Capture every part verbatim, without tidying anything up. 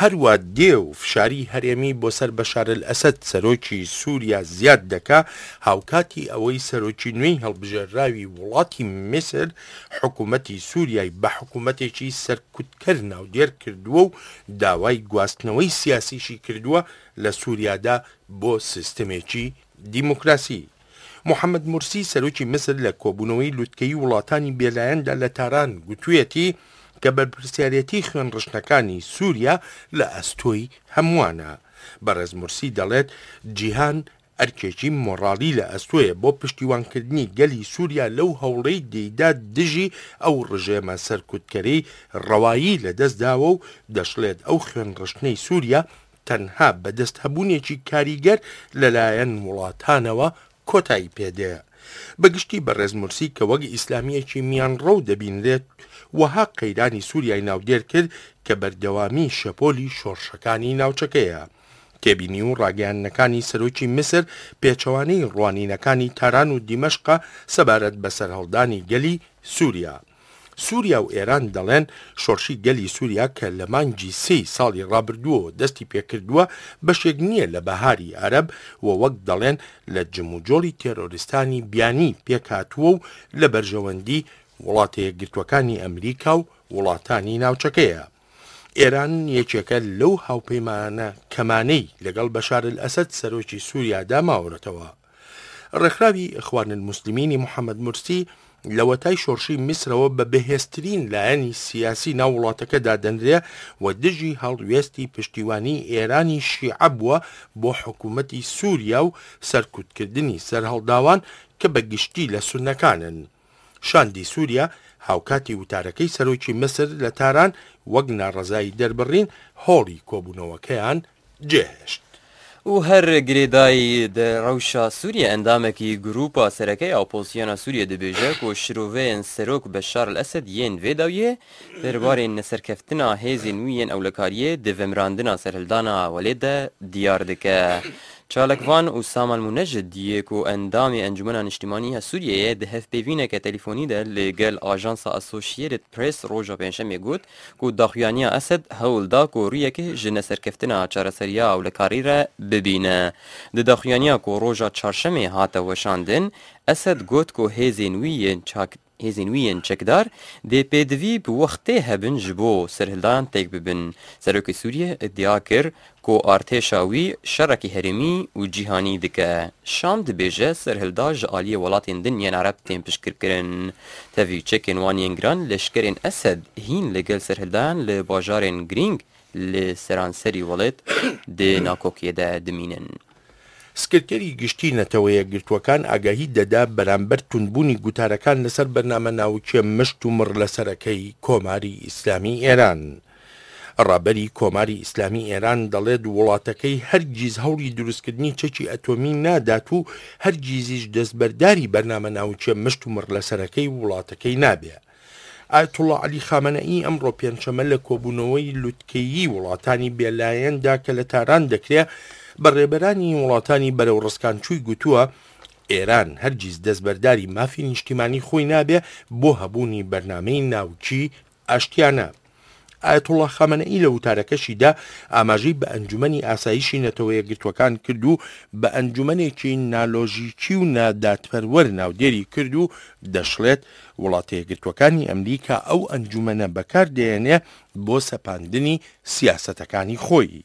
هەروا دێ و فشاری هەرێمی بۆ سەر بەشار ئەسەد سەرۆکی سووریا زیاد دەکا، هاوکاتی ئەوەی سەرۆکی نوێی هەڵبژێرراوی وڵاتی میسر حکوومەتی سووریای بە حکوومەتێکی سەرکوتکەر ناودێر کردووە و داوای گواستنەوەی سیاسیشی کردووە لە سووریادا بۆ سیستمێکی دیموکراسی. محەممەد مورسی سەرۆکی میسر لە کۆبوونەوەی لوتکەی وڵاتانی بێلایەندا لە تاران گوتوویەتی کە بەرپرسیارەتی خوێنڕشتنەکانی سووریا لە ئەستۆی هەمووانە. بەڕێز مورسی دەڵێت جیهان ئەرکێکی مۆرالی لە ئەستۆیە بۆ پشتیوانکردنی گەلی سووریا لەو هەوڵەی دەیدا دژی ئەو ڕژێمە سەرکوتکەرەی ڕەوایی لەدەست داوە و دەشڵێت ئەو خوێنڕشتنەی سووریا تەنها بەدەست هەبوونێکی کاریگەر لەلایەن وڵاتانەوە کۆتایی پێدێ. بەگشتی بەڕێز مورسی کە وەک ئیسلامیەکی میانڕەو دەبینرێت وەها قەیرانی سووریای ناودێر کرد کە بەردەوامی شەپۆلی شۆڕشەکانی ناوچەکەیە. تێبینی و ڕاگەیاندنەکانی سەرۆکی میسر پێچەوانەی ڕوانینەکانی تاران و دیمەشقە سەبارەت بە سەرهەڵدانی گەلی سووریا. سووریا و ئێران دەڵێن شۆڕشی گەلی سووریا کە لە مانگی سێی ساڵی ڕابردووەوە دەستی پێکردووە بەشێک نییە لە بەهاری عەرەب و وەک دەڵێن لە جموجۆڵی تێرۆریستانی بیانی پێکهاتووە و لە بەرژەوەندی وڵاتە یەکگرتووەکانی ئەمریکا و وڵاتانی ناوچەکەیە. ئێران یەکێکە لەو هاوپەیمانە کەمانەی لەگەڵ بەشار ئەسەد سەرۆکی سووریادا ماوەتەوە. ڕێکخراوی ئیخوان الموسلمینی محەممەد مورسی لەوەتای شۆڕشی میسرەوە بە بەهێزترین لایەنی سیاسی ناو وڵاتەکە دادەنرێ و دژی هەڵوێستی پشتیوانی ئێرانی شیعە بووە بۆ حکوومەتی سووریا و سەرکوتکردنی سەرهەڵداوان کە بە گشتی لە سوننەکانن. شاندی سووریا هاوکاتی وتارەکەی سەرۆکی میسر لە تاران وەک ناڕەزایی دەربڕین هۆڵی کۆبوونەوەکەیان جێهێشت. و هەر گرێدای ڕەوشا سووریە ئەندامێکی گروپا سەرەکەی ئۆپۆزسیۆنا سووریە دەبێژە کۆ شرۆڤەیەن سەرۆک بەشار ئەسەد yên vê dawiyê derbarê neserkeftina hêzên wî yên ewlekariyê di vemirandina serhildana welêt de diyar dike. Çalakvan Usama Munecid yê ku endamê Encumena Niştimanî ya Sûriyeyê di hevpeyvîneke telefonî de li gel ajansa Associated Press roja pêncşemê got ku daxuyaniya Esed hewl da ku rûyekê ji neserkeftina çareseriya ewlekarî re bibîne. Di daxuyaniya ku roja çarşemê hate weşandin, Esed got ku hêzên wî yên çak hêzên wî yên çekdar dê pêdivî bi wextê hebin ji bo serhildan têk bibin. Serokê Sûriye îdia kir ku artêşa wî şerekî herêmî û cîhanî dike. Şam dibêje serhilda ji aliyê welatên din yên Ereb tên piştgirkirin. Tevî çekên wan yên giran leşkerên Esed hîn li gel serhildan li bajarên girîng li seranserî welêt di nakokiyê de dimînin. سکرتێری گشتی نەتەوە یەکگرتووەکان ئاگاهی دەدا بەرامبەر توندبوونی گوتارەکان لەسەر بەرنامە ناوکیە مشت و مڕ لەسەرەکەی کۆماری ئیسلامی ئێران. ڕابەری کۆماری ئیسلامی ئێران دەڵێت وڵاتەکەی هەرگیز هەوڵی دروستکردنی چەکی ئەتۆمی نادات و هەرگیزیش دەستبەرداری بەرنامە ناوکیە مشت و مڕ لەسەرەکەی وڵاتەکەی نابێ. ئایەتوڵڵا عەلی خامنەئی ئەمڕۆ پێنجشەممە لە کۆبوونەوەی لوتکەیی وڵاتانی بێلایەندا کە لە تاران دەکرێت بە ڕێبەرانی وڵاتانی بەرەو ڕسکانچووی گوتووە ئێران هەرگیز دەستبەرداری مافی نیشتیمانی خۆی نابێ بۆ هەبوونی بەرنامەی ناوکی ئاشتیانە. ئایەتوڵڵا خامنەئی لە وتارەکەشیدا ئاماژەی بە ئەنجومەنی ئاسایشی نەتەوە یەکگرتووەکان کرد و بە ئەنجومەنێکی نالۆژیکی و نادادپەروەر ناودێری کرد و دەشڵێت وڵاتە یەکگرتووەکانی ئەمریکا ئەو ئەنجومەنە بەکاردێنێ بۆ سەپاندنی سیاسەتەکانی خۆی.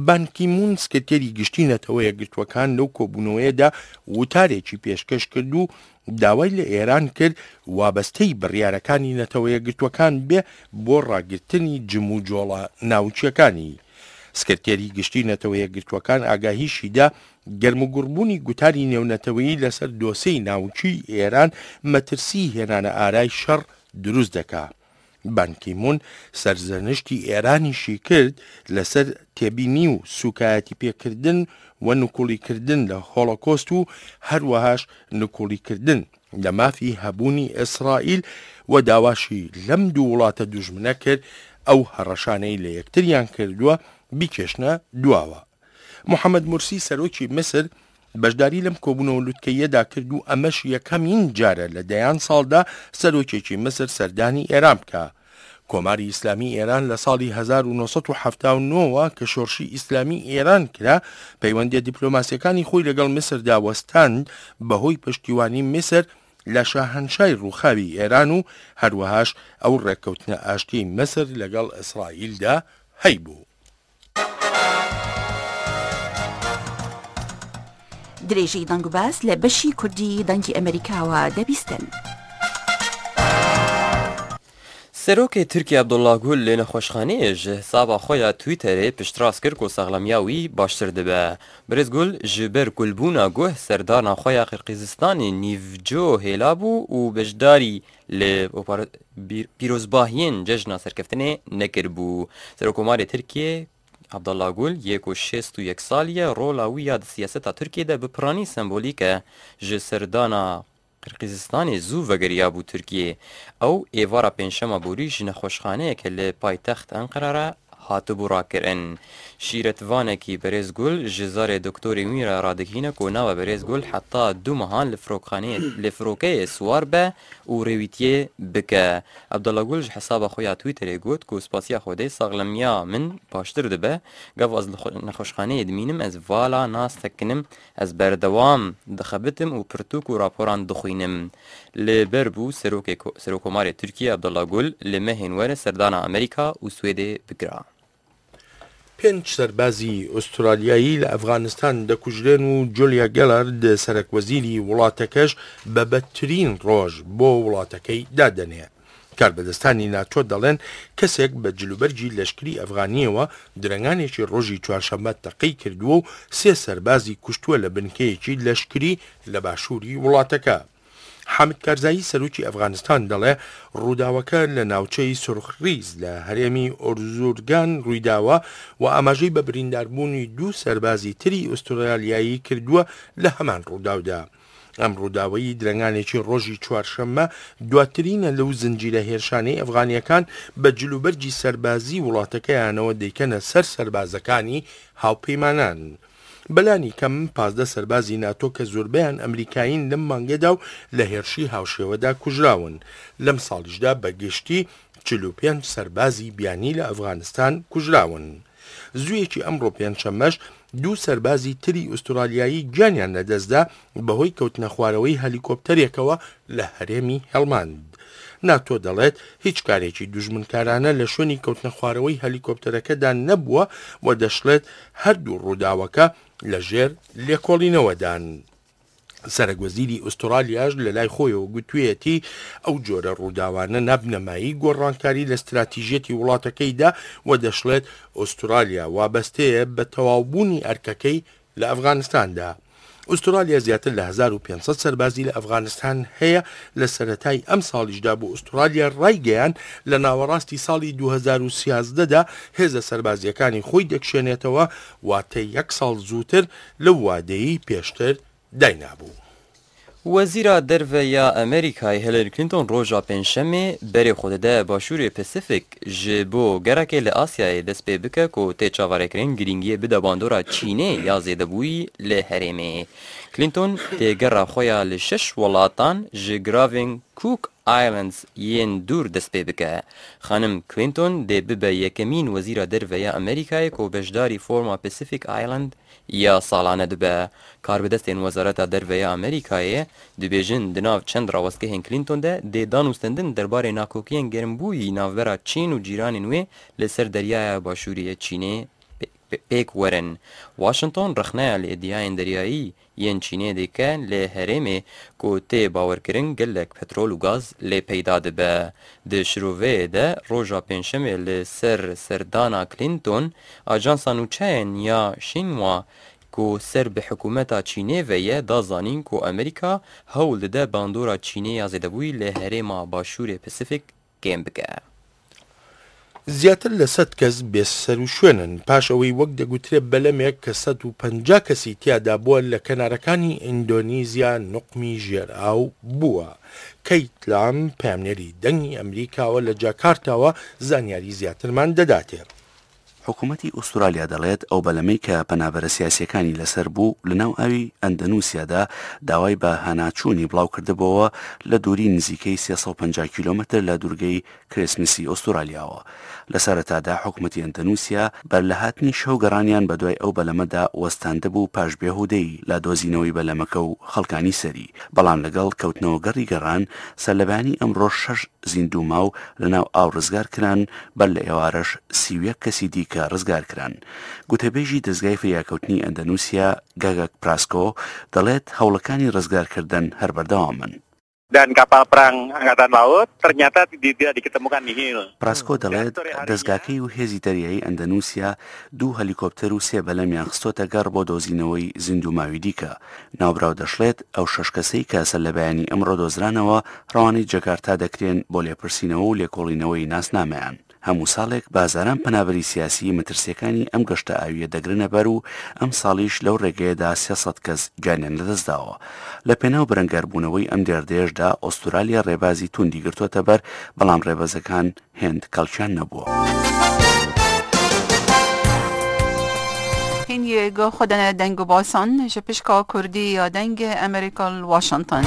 بان کی مون سکرتێری گشتی نەتەوە یەکگرتووەکان لەو کۆبوونەوەیەدا وتارێکی پێشکەش کرد و داوای لە ئێران کرد وابەستەی بڕیارەکانی نەتەوە یەکگرتووەکان بێ بۆ ڕاگرتنی جموجۆڵە ناوچیەکانی. سکرتێری گشتی نەتەوە یەکگرتووەکان ئاگاهیشیدا گەرموگوڕبوونی گوتاری نێونەتەوەیی لەسەر دۆسێی ناوچی ئێران مەترسی هێنانە ئارای شەڕ دروست دەکا. بان کی مون سەرزەنشتی ئێرانیشی کرد لەسەر تێبینی و سوکایەتی پێکردن و نکوڵیکردن لە هۆڵۆکۆست و هەروەهاش نکوڵیکردن لە مافی هەبوونی ئیسرائیل و داواشی لەم دوو وڵاتە دوژمنە کرد ئەو هەڕەشانەی لە یەکتریان کردووە بیکێشنە دواوە. محەممەد مورسی سەرۆکی میسر بەشداری لەم کۆبوونەوە لوتکەیەدا کرد و ئەمەش یەکەمین جارە لە دەیان ساڵدا سەرۆکێکی میسر سەردانی ئێران بکە. کۆماری ئیسلامی ئێران لە ساڵی هەزار و نۆ سەد و حەفتا و نۆ وە کە شۆڕشی ئیسلامی ئێران کرا، پەیوەندیە دیپلۆماسیەکانی خۆی لەگەڵ میسردا وەستاند بەهۆی پشتیوانی میسر لە شاهەنشای ڕووخاوی ئێران و هەروەهاش ئەو ڕێککەوتنە ئاشتی میسر لەگەڵ ئیسرائیلدا هەیبوو. درێژەی دەنگ و باس لە بەشی کوردی دەنگی ئەمریکاوە دەبیستن. سەرۆکی تورکیا عەبدوڵڵا گول لە نەخۆشخانەیە ji hesaba xwe ya Twitterê piştrast kir ku saxlemiya wî baştir dibe. Birêz Gul ji ber kulbûna guh serdana xwe ya Qirgizistanê nîvco hêlabû û beşdarî li pîrozbahiyên cejna serkeftinê nekiribû. Serokkomarê Tirkiyê Abdullah Gül yê ku şêst û yek salî ye rola wî ya di siyaseta Tirkiyê de bi piranî sembolîk e ji serdana Qirgizistanê zû vegeriyabû Tirkiyê. Ew êvara pêncşema borî ji nexweşxaneyeke li paytext Enqere re hatibû rakirin. Şîretvanekî Birêz Gul ji zarê doktorê wî re radigihîne ku nabe Birêz Gul heta du mehan li firokxaneyê li firokeyê siwar be û rêwîtiyê bike. Abdullah Gul ji hesaba xwe ya Twitterê got ku spasiya Xwedê saxlemiya min baştir dibe. Gav ez li nexweşxaneyê dimînim ez vala nasekinim, ez berdewam dixebitim û pirtûk û raporan dixwînim. Li ber bû Serokkomarê Tirkiye Abdullah Gul li mehên were serdana Amerîka û Swêdê bikira. پێنج سەربازی ئوسترالیایی لە ئەفغانستان دەکوژرێن و جولیا گێلارد سەرەک وەزیری وڵاتەکەش بە بەدترین ڕۆژ بۆ وڵاتەکەی دادەنێ. کاربەدەستانی ناتۆ دەڵێن کەسێک بە جلوبەرگی لەشکری ئەفغانیەوە درەنگانێکی ڕۆژی چوارشەممە تەقەی کردووە و سێ سەربازی کوشتووە لە بنکەیەکی لەشکری لە باشووری وڵاتەکە. حامد کارزایی سەرۆکی ئەفغانستان دەڵێ ڕووداوەکە لە ناوچەی سرخریز لە هەرێمی ئۆرزورگان ڕوویداوە و ئاماژەی بە برینداربوونی دوو سەربازی تری ئوسترالیایی کردووە لە هەمان ڕووداودا. ئەم ڕووداوەی درەنگانێکی ڕۆژی چوارشەممە دواترینە لەو زنجیرە هێرشانەی ئەفغانیەکان بە جلوبەرگی سەربازی وڵاتەکەیانەوە دەیکەنە سەر سەربازەکانی هاوپەیمانان. بەلانی کەم پازدە سەربازی ناتۆ کە زۆربەیان ئەمریکایین لەم مانگەدا و لە هێرشی هاوشێوەدا کوژراون. لەم ساڵیشدا بەگشتی چل و پێنج سەربازی بیانی لە ئەفغانستان کوژراون. زوویەکی ئەمڕۆ پێنجشەممەش دوو سەربازی تری ئوسترالیایی گیانیان لەدەستدا بەهۆی کەوتنەخوارەوەی هەلیکۆپتەرێکەوە لە هەرێمی هێڵماند. ناتۆ دەڵێت هیچ کارێکی دوژمنکارانە لە شوێنی کەوتنەخوارەوەی هەلیکۆپتەرەکەدا نەبووە و دەشڵێت هەردوو ڕووداوەکە لەژێر لێکۆڵینەوەدان. سەرەک وەزیری ئوسترالیاش لە لای خۆیەوە گوتوێتی ئەو جۆرە ڕووداوانە نابنەمایی گۆڕانکاری لە ستراتیژیەتی وڵاتەکەیدا و دەشڵێت ئوسترالیا وابەستەیە بە تەواوبوونی ئەرکەکەی لە ئەفغانستاندا. ئوسترالیا زیاتر لە هەزار و پێنج سەد سەربازی لە ئەفغانستان هەیە. لە سەرەتای ئەم ساڵیشدا بۆ ئوسترالیا ڕایگەیان لە ناوەڕاستی ساڵی دوو هەزار و سیازدەدا هێزە سەربازیەکانی خۆی دەکشێنێتەوە، واتە یەک ساڵ زووتر لەو وادەیەی پێشتر داینابوو. وەزیرا دەرڤە یا ئەمریکای هیلاری کلینتۆن ڕۆژا پێنجشەممێ بەرێ خۆ دەدە باشوورê Pasîfîk ji bo gerekê li Asyayê dest pê bike ku tê çaverêkirin girîngiyê bide bandora Çînê ya zêdebûyî li herêmê. Clinton tê gera xwe ya li şeş welatan ji giravên Cook Islands yên dûr dest pê bike. Xanim Clinton dê bibe yekemîn wezîra derve ya Amerîkayê ku beşdarî Forma Pacific Island ya salane dibe. Karbidestên Wezareta Derve ya Amerîkayê dibêjin di nav çend rawestgehên Clinton de dê danûstendin derbarê nakokiyên germbûyî navbera Çîn û cîranên wê li ser deryaya Başûrê Çînê pêk werin. Washington rexneya li îdiayên deryayî yên Çînê dike li herêmê ku tê bawerkirin gelek petrol û gaz lê peyda dibe. Di şiroveyê de roja pêncşemê li ser serdana Clinton ajansa nûçeyên ya Xinhua ku ser bi hikûmeta Çînê ve ye da zanîn ku Amerîka hewl dide bandora Çînê ya zêdebûyî li herêma Başûrê Pasîfîk kêm bike. زیاتر لە سەد کەس بێسەر و شوێنن پاش ئەوەی وەک دەگوترێت بەلەمێک کە سەد و پەنجا کەسی تیادا بووە لە کەنارەکانی ئیندۆنیزیا نوقمی ژێرئاو بووە. کەیت لام پەیامنێری دەنگی ئەمریکاوە لە جاکارتاوە زانیاری زیاترمان دەداتێ. حکوومەتی ئوسترالیا دەڵێت ئەو بەلەمەی کە پەنابەرە سیاسیەکانی لەسەر بوو لەناو ئاوی ئەندەنوسیادا داوای بە هەناچوونی بڵاو کردبەوە لە دووری نزیکەی سێ سەد و پەنجا کیلۆمەتر لە دوورگەی کریسمسی ئوسترالیاوە. لە سەرەتادا حکوومەتی ئەندەنوسیا بەر لە هاتنی شەو گەڕانیان بەدوای ئەو بەلەمەدا وەستاندبوو پاش بێهودەیی لە دۆزینەوەی بەلەمەکە و خەڵکانی سەری، بەڵام لەگەڵ کەوتنەوە گەڕی گەڕان سەرلەبانی ئەمڕۆ شەش زیندوو ماو لەناو ئاو ڕزگار کران، بەر لە ئێوارەش سی و یەک کەسی دیکە ڕزگار کران. گوتەبێژی دەزگای فریاکەوتنی ئەندەنوسیا گاگاک پراسکۆ دەڵێت هەوڵەکانی ڕزگارکردن هەر بەردەوامن. Dan kapal perang Angkatan Laut ternyata tidak diketemukan nihil. پراسکۆ دەڵێت دەزگاکەی و هێزی دەریایی ئەندەنوسیا دوو هەلیکۆپتەر و سێ بەلەمیان خستۆتە گەڕ بۆ دۆزینەوەی زیندووماوی دیکە. ناوبراو دەشڵێت ئەو شەش کەسەی کە سەرلەبەیانی ئەمڕۆ دۆزرانەوە ڕەوانەی جەکارتا دەکرێن بۆ لێپرسینەوە و لێکۆڵینەوەی ناسنامەیان. هەموو ساڵێک بازاران پەنابەری سیاسی مەترسیەکانی ئەم گەشتە ئاویە دەگرنە بەر و ئەم ساڵیش لەو ڕێگەیەدا سێ سەد کەس گیانیان لەدەستداوە. لە پێناو بەرەنگاربوونەوەی ئەم دێردەیەشدا ئوسترالیا ڕێبازی توندی گرتووەتە بەر، بەڵام ڕێبازەکان هێند کەڵکیان نەبووە. هین خودنا دەنگ و باسان ji pişka Kurdî ya Dengê Amerîka li Washington.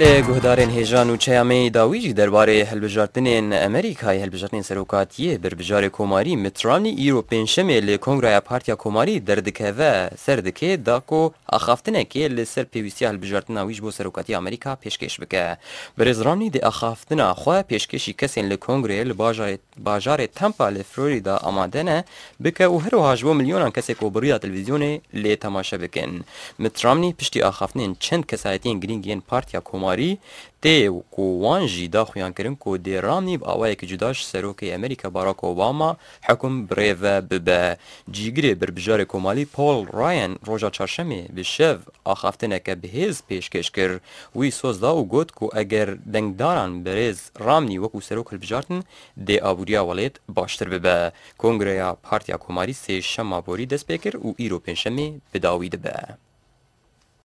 لە guhdarên hêja nûçeya me dawî jî derbarê hilbijartinên Amerîkayê hilbijartinên serokatiyê berbijarê Komarî Mitt Romney îro pêncşemê li Kongreya Partiya Komarî derdikeve ser dike da ku axaftinekê li ser pêwîstiya hilbijartina wî ji bo serokatiya Amerîka pêşkêş bike. Birêz Romney dê axaftina xwe pêşkêşî kesên li Kongreyê li bajarê Tampa li Florida amade ne bike û herwiha ji bo milyonan kesê ku bi rêya televîzyonê lê temaşe bikin. Mitt Romney piştî axaftinên çend kesayetiyên girîng yên Partiya Komarî tê ku wan jî da xuyankirin ku dê Romney bi awayekî cuda ji serokê Amerîka Barack Obama hukm birêve bibe. Cîgirê berbijarê Komalî Paul Ryan roja çarşemê bi şev axaftineke bihêz pêşkêş kir. Wî soz da û got ku eger dengdaran birêz Romney wekû serok hilbijartin dê aboriya welêt baştir bibe. Kongreya Partiya Komarî sê şema borî dest pê kir û îro pêncşemê bi dawî dibe.